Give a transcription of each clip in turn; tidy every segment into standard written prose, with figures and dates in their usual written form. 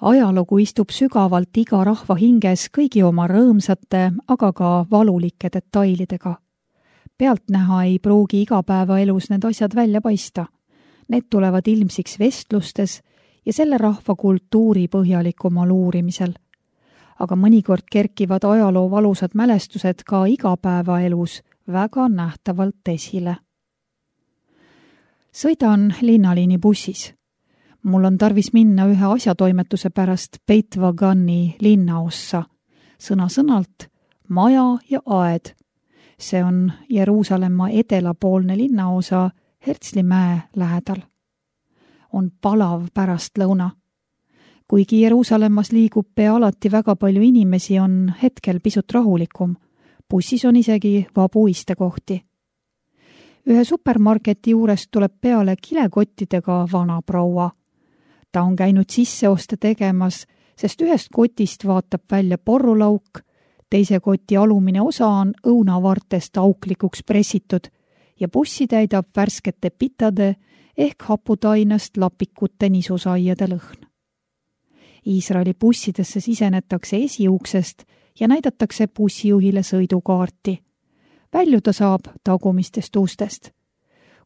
Ajalugu istub sügavalt iga rahva hinges kõigi oma rõõmsate, aga ka valulike detailidega. Pealtnäha ei pruugi igapäevaelus need asjad välja paista. Need tulevad ilmsiks vestlustes ja selle rahva kultuuri põhjalikumal uurimisel. Aga mõnikord kerkivad ajaloo valusad mälestused ka igapäevaelus väga nähtavalt esile. Sõidan linnaliini bussis. Mul on tarvis minna ühe asjatoimetuse pärast Beit Vagani linnaossa, sõna-sõnalt maja ja aed. See on Jeruusalemma edelapoolne linnaosa Herzlimäe lähedal. On palav pärastlõuna. Kuigi Jeruusalemmas liigub pea alati väga palju inimesi, on hetkel pisut rahulikum. Bussis on isegi vabu istekohti. Ühe supermarketi juurest tuleb peale kilekottidega vana proua. Ta on käinud sisseoste tegemas, sest ühest kotist vaatab välja porrulauk, teise koti alumine osa on õunavartest auklikuks pressitud ja bussi täidab värskete pitade ehk haputainast lapikute nisusaiade lõhn. Iisraeli bussidesse sisenetakse esiuksest ja näidatakse bussijuhile sõidukaarti. Väljuda saab tagumistest ustest.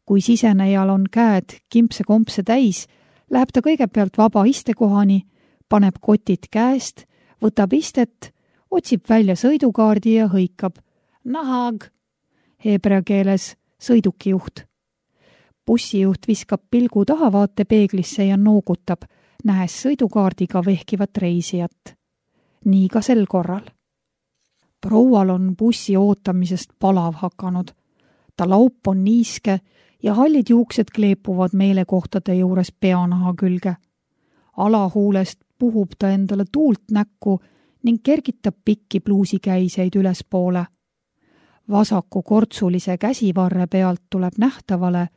Kui sisenejal on käed kimpse-kompse täis, läheb ta kõigepealt vaba istekohani, paneb kotid käest, võtab istet, otsib välja sõidukaardi ja hõikab nahag, heebrea keeles sõidukijuht. Bussijuht viskab pilgu tahavaatepeeglisse ja noogutab, nähes sõidukaardiga vehkivat reisijat. Nii ka sel korral. Proual on bussi ootamisest palav hakanud. Ta laup on niiske ja hallid juuksed kleepuvad meelekohtade juures peanaha külge. Alahuulest puhub ta endale tuult näkku ning kergitab pikki pluusikäiseid ülespoole. Vasaku kortsulise käsivarre pealt tuleb nähtavale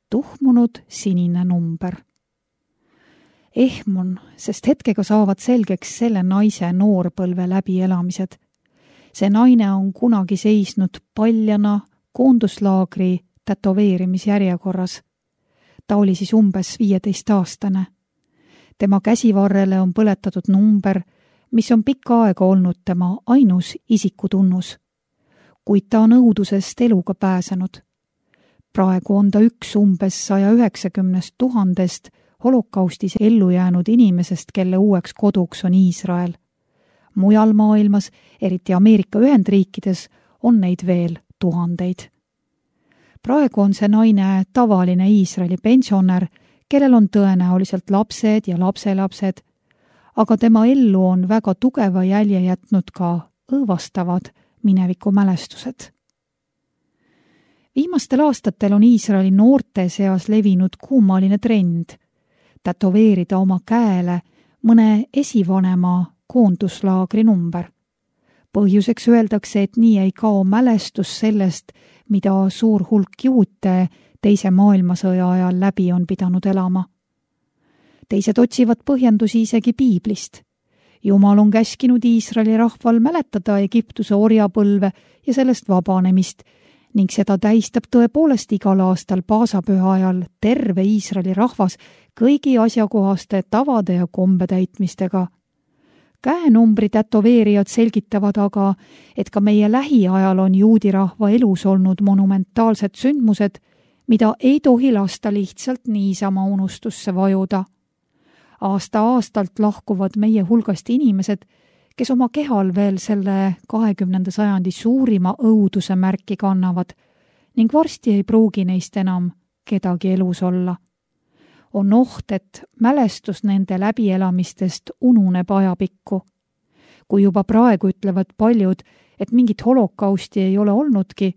tuhmunud sinine number. Ehmun, sest hetkega saavad selgeks selle naise noorpõlve läbielamised. See naine on kunagi seisnud paljana koonduslaagri tätoveerimisjärjekorras. Ta oli siis umbes 15-aastane. Tema käsivarrele on põletatud number, mis on pikka aega olnud tema ainus isikutunnus. Kuid ta on õudusest eluga pääsenud. Praegu on ta üks umbes 190 000 holokaustis ellu jäänud inimesest, kelle uueks koduks on Iisrael. Mujal maailmas, eriti Ameerika Ühendriikides, on neid veel tuhandeid. Praegu on see naine tavaline Iisraeli pensionär, kellel on tõenäoliselt lapsed ja lapselapsed, aga tema ellu on väga tugeva jälje jätnud ka õõvastavad minevikumälestused. Viimastel aastatel on Iisraeli noorte seas levinud kuumaline trend tätoveerida oma käele mõne esivanema koonduslaagri number. Põhjuseks öeldakse, et nii ei kao mälestus sellest, mida suur hulk juute teise maailmasõja ajal läbi on pidanud elama. Teised otsivad põhjendusi isegi piiblist. Jumal on käskinud Iisraeli rahval mäletada Egiptuse orjapõlve ja sellest vabanemist ning seda tähistab tõepoolest igal aastal paasapüha ajal terve Iisraeli rahvas kõigi asjakohaste tavade ja kombetäitmistega. Käenumbri tätoveerijad selgitavad aga, et ka meie lähiajal on juudi rahva elus olnud monumentaalsed sündmused, mida ei tohi lasta lihtsalt niisama unustusse vajuda. Aasta-aastalt lahkuvad meie hulgast inimesed, kes oma kehal veel selle 20. sajandi suurima õuduse märki kannavad ning varsti ei pruugi neist enam kedagi elus olla. On oht, et mälestus nende läbielamistest ununeb ajapikku. Kui juba praegu ütlevad paljud, et mingit holokausti ei ole olnudki,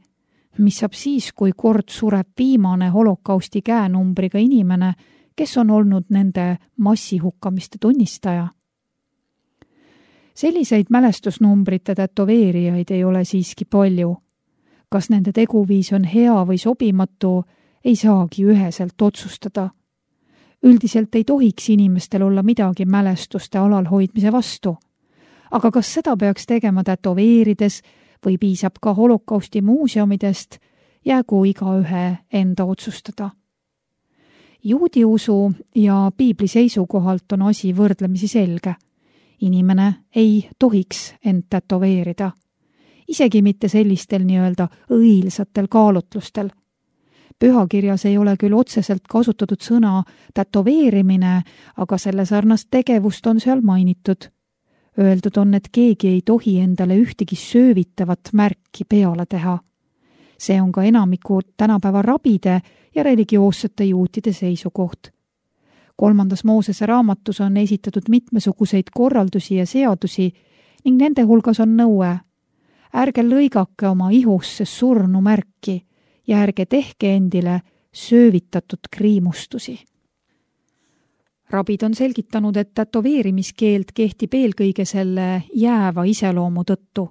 mis saab siis, kui kord sureb viimane holokausti käenumbriga inimene, kes on olnud nende massihukkamiste tunnistaja. Selliseid mälestusnumbrite tätoveerijaid ei ole siiski palju. Kas nende teguviis on hea või sobimatu, ei saagi üheselt otsustada. Üldiselt ei tohiks inimestel olla midagi mälestuste alalhoidmise vastu. Aga kas seda peaks tegema tätoveerides või piisab ka holokausti muuseumidest, jäägu igaühe enda otsustada. Juudi usu ja piibli seisukohalt on asi võrdlemisi selge. Inimene ei tohiks end tätoveerida. Isegi mitte sellistel nii-öelda õilsatel kaalutlustel. Pühakirjas ei ole küll otseselt kasutatud sõna tätoveerimine, aga selle sarnast tegevust on seal mainitud. Öeldud on, et keegi ei tohi endale ühtegi söövitavat märki peale teha. See on ka enamiku tänapäeva rabide ja religioossete juutide seisukoht. 3. Moosese raamatus on esitatud mitmesuguseid korraldusi ja seadusi ning nende hulgas on nõue. Ärge lõigake oma ihusse surnu märki ja ärge tehke endile söövitatud kriimustusi. Rabid on selgitanud, et tätoveerimiskeeld kehtib eelkõige selle jääva iseloomu tõttu.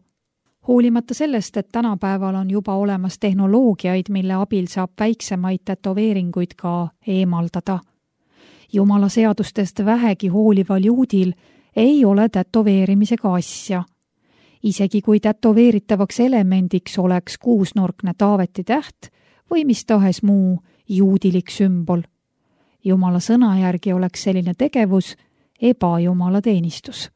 Hoolimata sellest, et tänapäeval on juba olemas tehnoloogiaid, mille abil saab väiksemaid tätoveeringuid ka eemaldada. Jumala seadustest vähegi hoolival juudil ei ole tätoveerimisega asja. Isegi kui tätoveeritavaks elemendiks oleks kuusnurkne Taaveti täht või mis tahes muu juudilik sümbol. Jumala sõna järgi oleks selline tegevus ebajumala teenistus.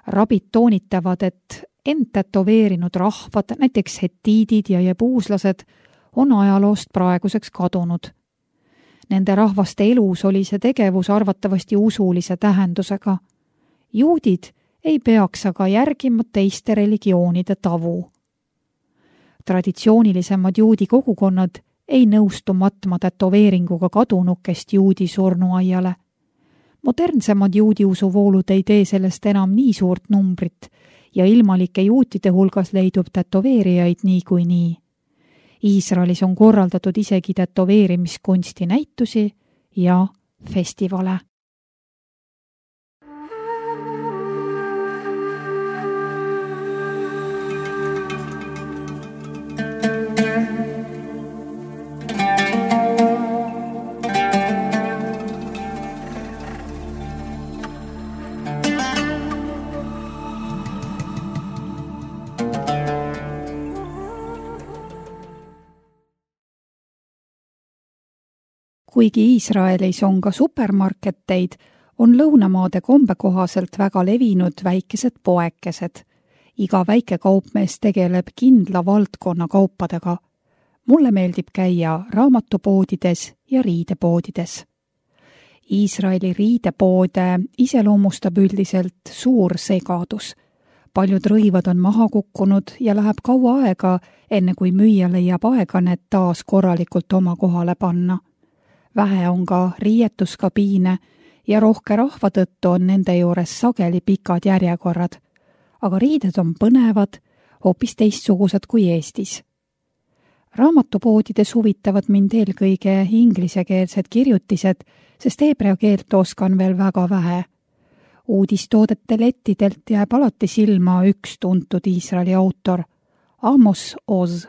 Rabid toonitavad, et end tätoveerinud rahvad, näiteks hetiidid ja jebuuslased, on ajaloost praeguseks kadunud. Nende rahvaste elus oli see tegevus arvatavasti usulise tähendusega. Juudid ei peaks aga järgima teiste religioonide tavu. Traditsioonilisemad juudi kogukonnad ei nõustu matma tätoveeringuga kadunukest juudi surnuaiale. Modernsemad juudi usuvoolud ei tee sellest enam nii suurt numbrit ja ilmalike juutide hulgas leidub tätoveerijaid niikuinii. Iisraelis on korraldatud isegi tätoveerimiskunsti näitusi ja festivale. Kuigi Iisraelis on ka supermarketeid, on lõunamaade kombe kohaselt väga levinud väikesed poekesed. Iga väike kaupmees tegeleb kindla valdkonna kaupadega. Mulle meeldib käia raamatupoodides ja riidepoodides. Iisraeli riidepoode iseloomustab üldiselt suur segadus. Paljud rõivad on maha kukkunud ja läheb kaua aega, enne kui müüja leiab aega need taas korralikult oma kohale panna. Vähe on ka riietuskabiine ja rohke rahva tõttu on nende juures sageli pikad järjekorrad. Aga riided on põnevad, hoopis teistsugused kui Eestis. Raamatupoodides huvitavad mind eelkõige inglisekeelsed kirjutised, sest heebrea keelt oskan veel väga vähe. Uudistoodete lettidelt jääb alati silma üks tuntud Iisraeli autor, Amos Oz.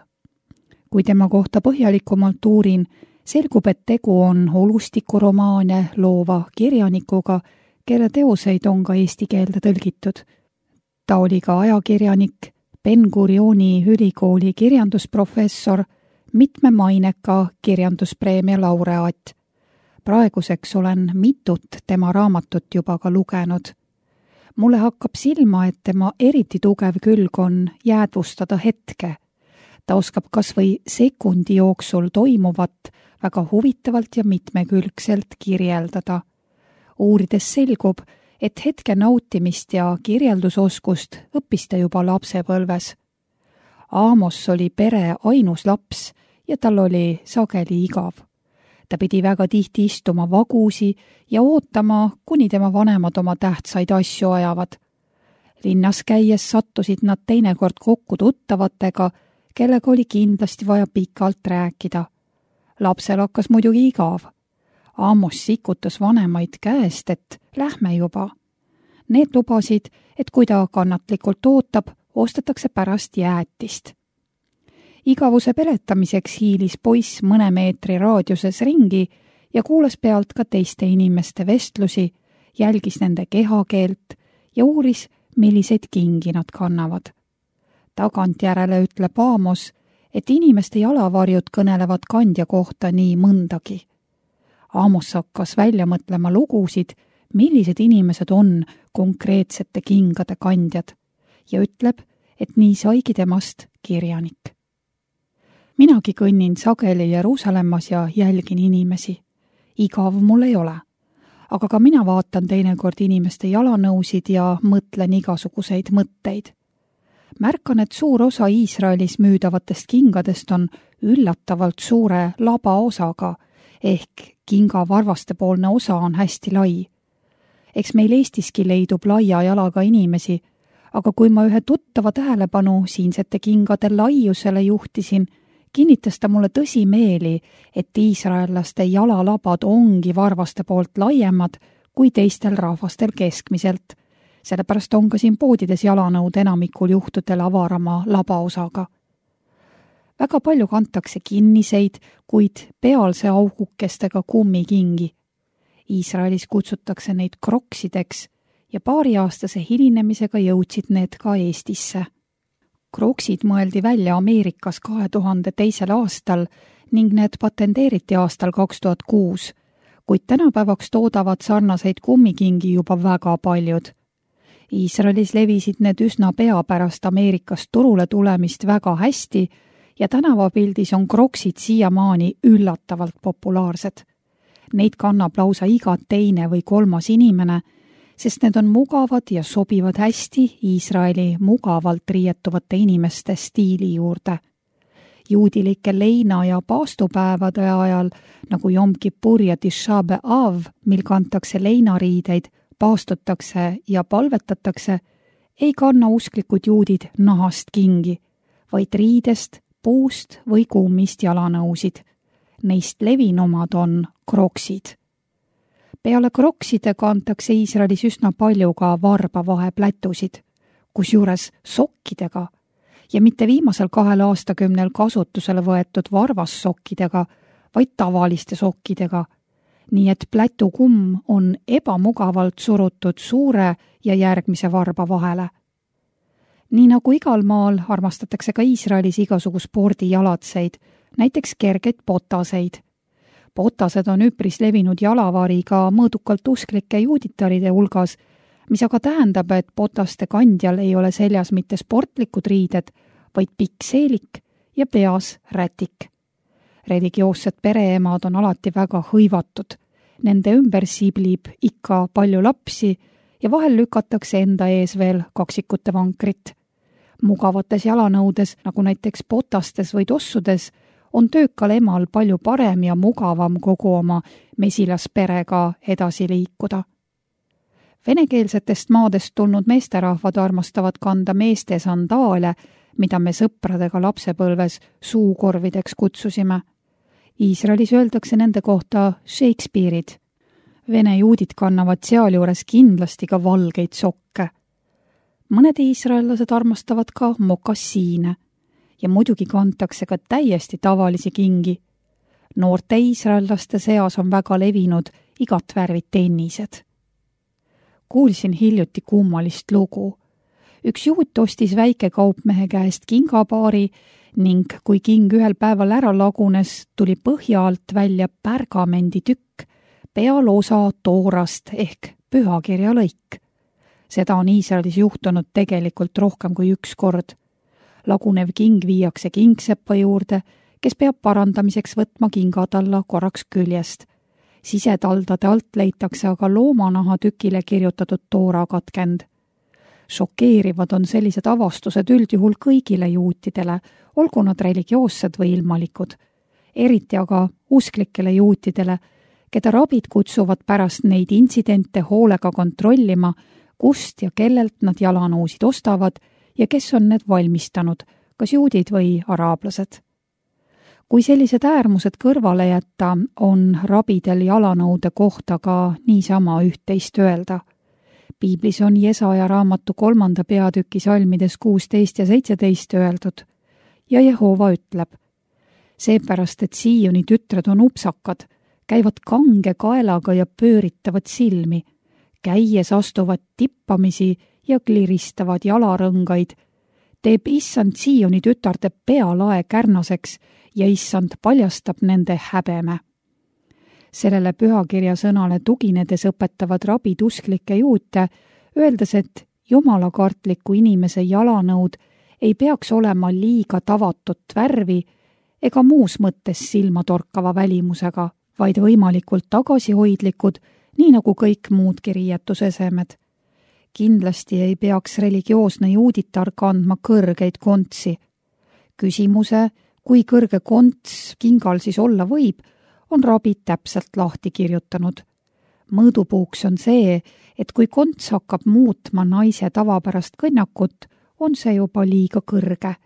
Kui tema kohta põhjalikumalt uurin, selgub, et tegu on olustikuromaane loova kirjanikuga, kelle teoseid on ka eesti keelde tõlgitud. Ta oli ka ajakirjanik, Ben-Gurioni ülikooli kirjandusprofessor, mitme maineka kirjanduspreemia laureaat. Praeguseks olen mitut tema raamatut juba ka lugenud. Mulle hakkab silma, et tema eriti tugev külg on jäädvustada hetke. Ta oskab kas või sekundi jooksul toimuvat väga huvitavalt ja mitmekülgselt kirjeldada. Uurides selgub, et hetke nautimist ja kirjeldusoskust õppis ta juba lapsepõlves. Amos oli pere ainus laps ja tal oli sageli igav. Ta pidi väga tihti istuma vagusi ja ootama, kuni tema vanemad oma tähtsaid asju ajavad. Linnas käies sattusid nad teinekord kokku tuttavatega, kellega oli kindlasti vaja pikalt rääkida. Lapsel hakkas muidugi igav. Amos sikutas vanemaid käest, et lähme juba. Need lubasid, et kui ta kannatlikult ootab, ostetakse pärast jäätist. Igavuse peletamiseks hiilis poiss mõne meetri raadiuses ringi ja kuulas pealt ka teiste inimeste vestlusi, jälgis nende kehakeelt ja uuris, milliseid kingi nad kannavad. Tagantjärele ütleb Amos, et inimeste jalavarjud kõnelevad kandja kohta nii mõndagi. Amos hakkas välja mõtlema lugusid, millised inimesed on konkreetsete kingade kandjad ja ütleb, et nii saigi temast kirjanik. Minagi kõnnin sageli Jeruusalemmas ja jälgin inimesi. Igav mul ei ole. Aga ka mina vaatan teinekord inimeste jalanõusid ja mõtlen igasuguseid mõtteid. Märkan, et suur osa Iisraelis müüdavatest kingadest on üllatavalt suure labaosaga, ehk kinga varvastepoolne osa on hästi lai. Eks meil Eestiski leidub laia jalaga inimesi, aga kui ma ühe tuttava tähelepanu siinsete kingade laiusele juhtisin, kinnitas ta mulle tõsimeeli, et iisraellaste jalalabad ongi varvaste poolt laiemad kui teistel rahvastel keskmiselt. Sellepärast on ka siin poodides jalanõud enamikul juhtudel avarama labaosaga. Väga palju kantakse kinniseid, kuid pealse augukestega kummikingi. Iisraelis kutsutakse neid kroksideks ja paariaastase hilinemisega jõudsid need ka Eestisse. Kroksid mõeldi välja Ameerikas 2002. aastal ning need patenteeriti aastal 2006, kuid tänapäevaks toodavad sarnaseid kummikingi juba väga paljud. Iisraelis levisid need üsna pea pärast Ameerikast turule tulemist väga hästi ja tänavapildis on kroksid siiamaani üllatavalt populaarsed. Neid kannab lausa iga teine või kolmas inimene, sest need on mugavad ja sobivad hästi Iisraeli mugavalt riietuvate inimeste stiili juurde. Juudilike leina- ja paastupäevade ajal, nagu Jom Kippur ja Tisha B'Av, mil kantakse leinariideid, paastutakse ja palvetatakse, ei kanna usklikud juudid nahast kingi, vaid riidest, puust või kummist jalanõusid. Neist levinumad on kroksid. Peale krokside kantakse Iisraelis üsna palju ka varbavaheplätusid, kusjuures sokkidega ja mitte viimasel 2 aastakümnel kasutusele võetud varvassokkidega, vaid tavaliste sokkidega, nii et plätukumm on ebamugavalt surutud suure ja järgmise varba vahele. Nii nagu igal maal armastatakse ka Iisraelis igasugu spordijalatseid, näiteks kergeid potaseid. Potased on üpris levinud jalavari ka mõõdukalt usklike juuditaride hulgas, mis aga tähendab, et potaste kandjal ei ole seljas mitte sportlikud riided, vaid pikk seelik ja peas rätik. Religioossed pereemad on alati väga hõivatud. Nende ümber siblib ikka palju lapsi ja vahel lükatakse enda ees veel kaksikute vankrit. Mugavates jalanõudes, nagu näiteks potastes või tossudes, on töökal emal palju parem ja mugavam kogu oma mesilasperega edasi liikuda. Venekeelsetest maadest tulnud meesterahvad armastavad kanda meeste sandaale, mida me sõpradega lapsepõlves suukorvideks kutsusime. Iisraelis öeldakse nende kohta Shakespeare'id. Vene juudid kannavad sealjuures kindlasti ka valgeid sokke. Mõned iisraellased armastavad ka mokassiine ja muidugi kantakse ka täiesti tavalisi kingi. Noorte iisraellaste seas on väga levinud igat värvi tennised. Kuulsin hiljuti kummalist lugu. Üks juut ostis väikekaupmehe käest kingapaari ning kui king ühel päeval ära lagunes, tuli põhja alt välja pärgamenditükk, peal osa toorast ehk pühakirja lõik. Seda on Iisraelis juhtunud tegelikult rohkem kui üks kord. Lagunev king viiakse kingsepa juurde, kes peab parandamiseks võtma kingad alla korraks küljest. Sisetaldade alt leitakse aga loomanaha tükile kirjutatud toora katkend. Šokeerivad on sellised avastused üldjuhul kõigile juutidele, olgu nad religioossed või ilmalikud. Eriti aga usklikele juutidele, keda rabid kutsuvad pärast neid intsidente hoolega kontrollima, kust ja kellelt nad jalanõusid ostavad ja kes on need valmistanud, kas juudid või araablased. Kui sellised äärmused kõrvale jätta, on rabidel jalanõude kohta ka niisama üht-teist öelda. Piiblis on Jesaja raamatu 3. peatüki salmides 16 ja 17 öeldud ja Jehova ütleb: seepärast, et Sioni tütred on upsakad, käivad kange kaelaga ja pööritavad silmi, käies astuvad tippamisi ja kliristavad jalarõngaid, teeb issand Sioni tütarde pealae kärnaseks ja issand paljastab nende häbeme. Sellele pühakirja sõnale tuginedes õpetavad rabid usklikke juute, öeldes, et jumalakartliku inimese jalanõud ei peaks olema liiga tavatut värvi ega muus mõttes silmatorkava välimusega, vaid võimalikult tagasihoidlikud, nii nagu kõik muudki riietusesemed. Kindlasti ei peaks religioosne juuditar kandma kõrgeid kontsi. Küsimuse, kui kõrge konts kingal siis olla võib, on rabid täpselt lahti kirjutanud. Mõõdupuuks on see, et kui konts hakkab muutma naise tavapärast kõnnakut, on see juba liiga kõrge.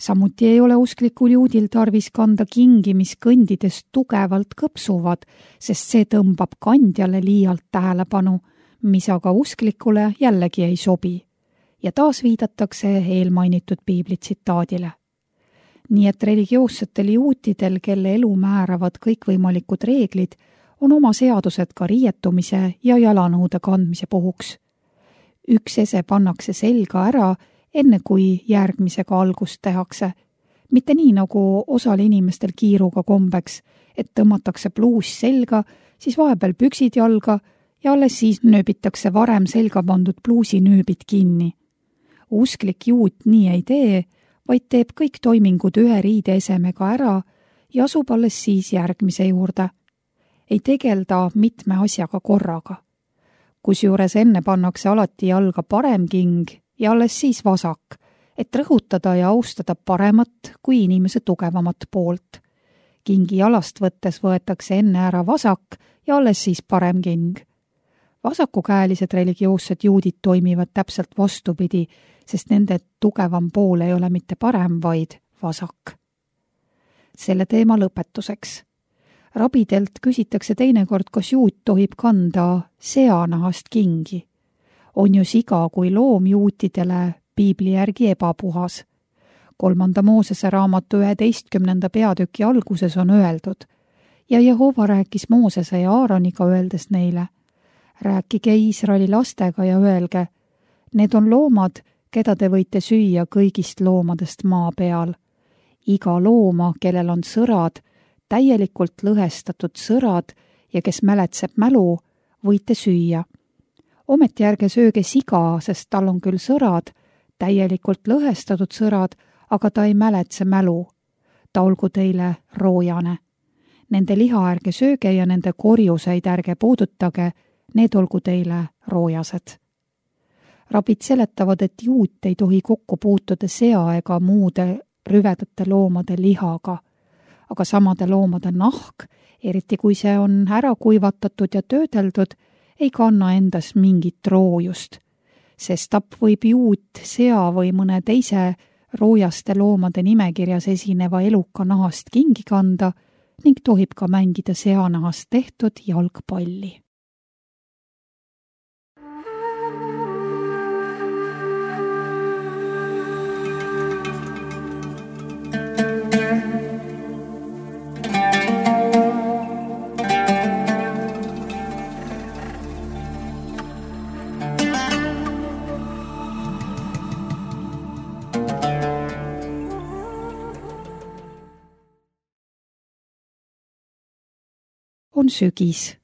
Samuti ei ole usklikul juudil tarvis kanda kingi, mis kõndides tugevalt kõpsuvad, sest see tõmbab kandjale liialt tähelepanu, mis aga usklikule jällegi ei sobi. Ja taas viidatakse eelmainitud piibli tsitaadile. Nii et religioossetel juutidel, kelle elu määravad kõikvõimalikud reeglid, on oma seadused ka riietumise ja jalanõude kandmise puhuks. Üks ese pannakse selga ära, enne kui järgmisega algust tehakse. Mitte nii nagu osal inimestel kiiruga kombeks, et tõmmatakse pluus selga, siis vahepeal püksid jalga ja alles siis nööbitakse varem selga pandud pluusi nööbid kinni. Usklik juut nii ei tee, vaid teeb kõik toimingud ühe riideesemega ära ja asub alles siis järgmise juurde. Ei tegelda mitme asjaga korraga. Kusjuures enne pannakse alati jalga parem king ja alles siis vasak, et rõhutada ja austada paremat kui inimese tugevamat poolt. Kingi jalast võttes võetakse enne ära vasak ja alles siis parem king. Vasakukäelised religioossed juudid toimivad täpselt vastupidi, sest nende tugevam pool ei ole mitte parem, vaid vasak. Selle teema lõpetuseks. Rabidelt küsitakse teinekord, kas juut tohib kanda seanahast kingi. On ju siga kui loom juutidele piibli järgi ebapuhas. 3. Moosese raamatu 11. peatüki alguses on öeldud ja Jehova rääkis Moosese ja Aaroniga, öeldes neile: rääkige Iisraeli lastega ja öelge, need on loomad, keda te võite süüa kõigist loomadest maa peal. Iga looma, kellel on sõrad, täielikult lõhestatud sõrad ja kes mäletseb mälu, võite süüa. Ometi ärge sööge siga, sest tal on küll sõrad, täielikult lõhestatud sõrad, aga ta ei mäletse mälu. Ta olgu teile roojane. Nende liha ärge sööge ja nende korjuseid ärge puudutage, need olgu teile roojased. Rabid seletavad, et juut ei tohi kokku puutuda sea ega muude rüvedate loomade lihaga, aga samade loomade nahk, eriti kui see on ära kuivatatud ja töödeldud, ei kanna endas mingit roojust. Sestap võib juut sea või mõne teise roojaste loomade nimekirjas esineva eluka nahast kingi kanda ning tohib ka mängida seanahast tehtud jalgpalli. On sügis.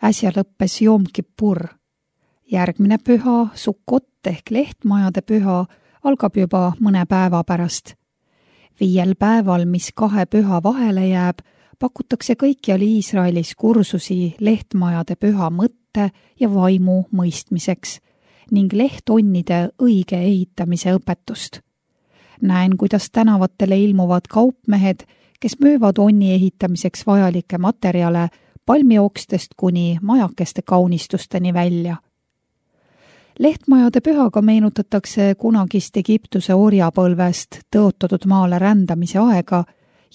Äsja lõppes Jom Kippur. Järgmine püha, Sukkot ehk lehtmajade püha, algab juba mõne päeva pärast. 5 päeval, mis 2 püha vahele jääb, pakutakse kõikjal Iisraelis kursusi lehtmajade püha mõtte ja vaimu mõistmiseks ning lehtonnide õige ehitamise õpetust. Näen, kuidas tänavatele ilmuvad kaupmehed, kes müüvad onni ehitamiseks vajalikke materjale palmiokstest kuni majakeste kaunistusteni välja. Lehtmajade pühaga meenutatakse kunagist Egiptuse orjapõlvest tõotatud maale rändamise aega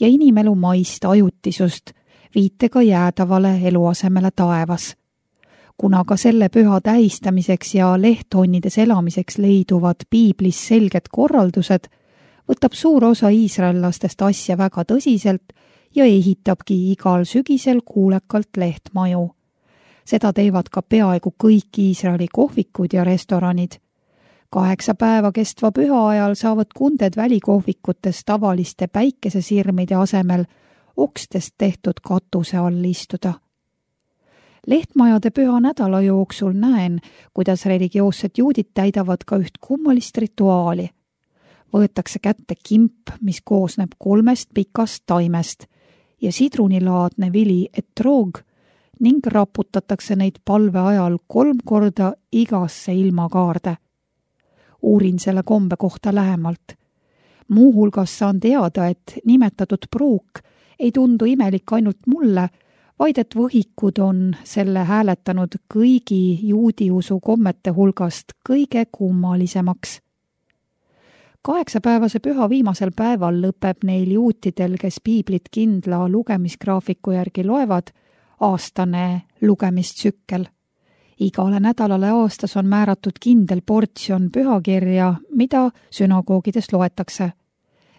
ja inimelu maist ajutisust, viitega jäädavale eluasemele taevas. Kuna ka selle püha tähistamiseks ja lehtonnides elamiseks leiduvad piiblis selged korraldused, võtab suur osa iisraellastest asja väga tõsiselt ja ehitabki igal sügisel kuulekalt lehtmaju. Seda teevad ka peaaegu kõik Iisraeli kohvikud ja restoranid. 8 päeva kestva püha ajal saavad kunded välikohvikutes tavaliste päikesesirmide asemel okstest tehtud katuse all istuda. Lehtmajade püha nädala jooksul näen, kuidas religioossed juudid täidavad ka üht kummalist rituaali. Võetakse kätte kimp, mis koosneb 3 pikast taimest ja sidrunilaadne vili etroog ning raputatakse neid palve ajal 3 korda igasse ilmakaarde. Uurin selle kombe kohta lähemalt. Muuhulgas saan teada, et nimetatud pruuk ei tundu imelik ainult mulle, vaid et võhikud on selle hääletanud kõigi juudiusu kommete hulgast kõige kummalisemaks. 8-päevase püha viimasel päeval lõpeb neil juutidel, kes piiblit kindla lugemisgraafiku järgi loevad, aastane lugemistsükkel. Igale nädalale aastas on määratud kindel portsjon pühakirja, mida sünagoogides loetakse.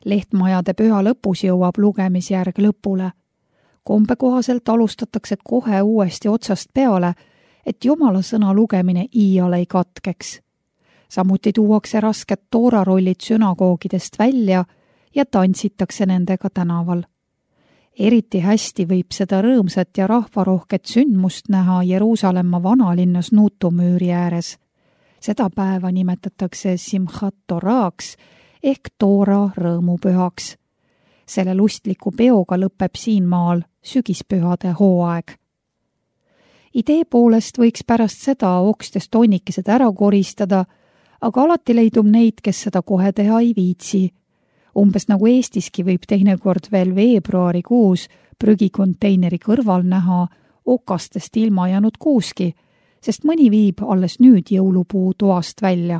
Lehtmajade püha lõpus jõuab lugemisjärg lõpule. Kombe kohaselt alustatakse kohe uuesti otsast peale, et Jumala sõna lugemine iial ei katkeks. Samuti tuuakse rasked toorarollid sünagoogidest välja ja tantsitakse nendega tänaval. Eriti hästi võib seda rõõmsat ja rahvarohket sündmust näha Jeruusalemma vanalinnas Nuutumüüri ääres. Seda päeva nimetatakse Simchat Toraks ehk Toora rõõmupühaks. Selle lustliku peoga lõpeb siin maal sügispühade hooaeg. Idee poolest võiks pärast seda okstest tonnikesed ära koristada, aga alati leidub neid, kes seda kohe teha ei viitsi. Umbes nagu Eestiski võib teinekord veel veebruarikuus prügikonteineri kõrval näha okastest ilma jäänud kuuski, sest mõni viib alles nüüd jõulupuu toast välja.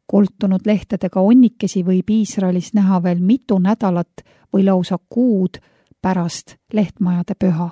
Koltunud lehtedega onnikesi võib Iisraelis näha veel mitu nädalat või lausa kuud pärast lehtmajade püha.